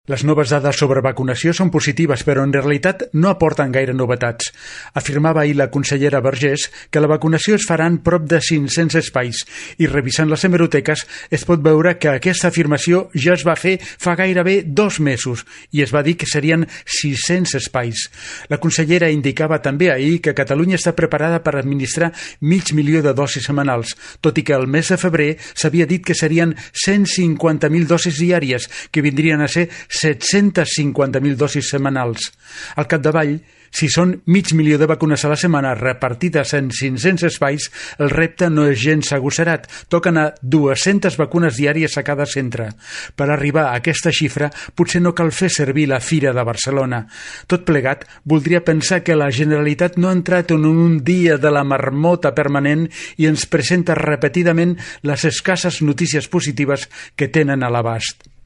Les noves dades sobre vacunació són positives, però en realitat no aporten gaire novetats. Afirmava ahir la consellera Vergés que la vacunació es farà en prop de 500 espais i revisant les hemeroteques es pot veure que aquesta afirmació ja es va fer fa gairebé 2 mesos i es va dir que serien 600 espais. La consellera indicava també ahir que Catalunya està preparada per administrar 500.000 de dosis setmanals, tot i que el mes de febrer s'havia dit que serien 150.000 dosis diàries, que vindrien a ser 750.000 dosis setmanals. Al capdavall, si són 500.000 de vacunes a la setmana repartides en 500 espais, el repte no és gens agosserat. Toquen a 200 vacunes diàries a cada centre. Per arribar a aquesta xifra, potser no cal fer servir la Fira de Barcelona. Tot plegat, voldria pensar que la Generalitat no ha entrat en un dia de la marmota permanent i ens presenta repetidament les escasses notícies positives que tenen a l'abast.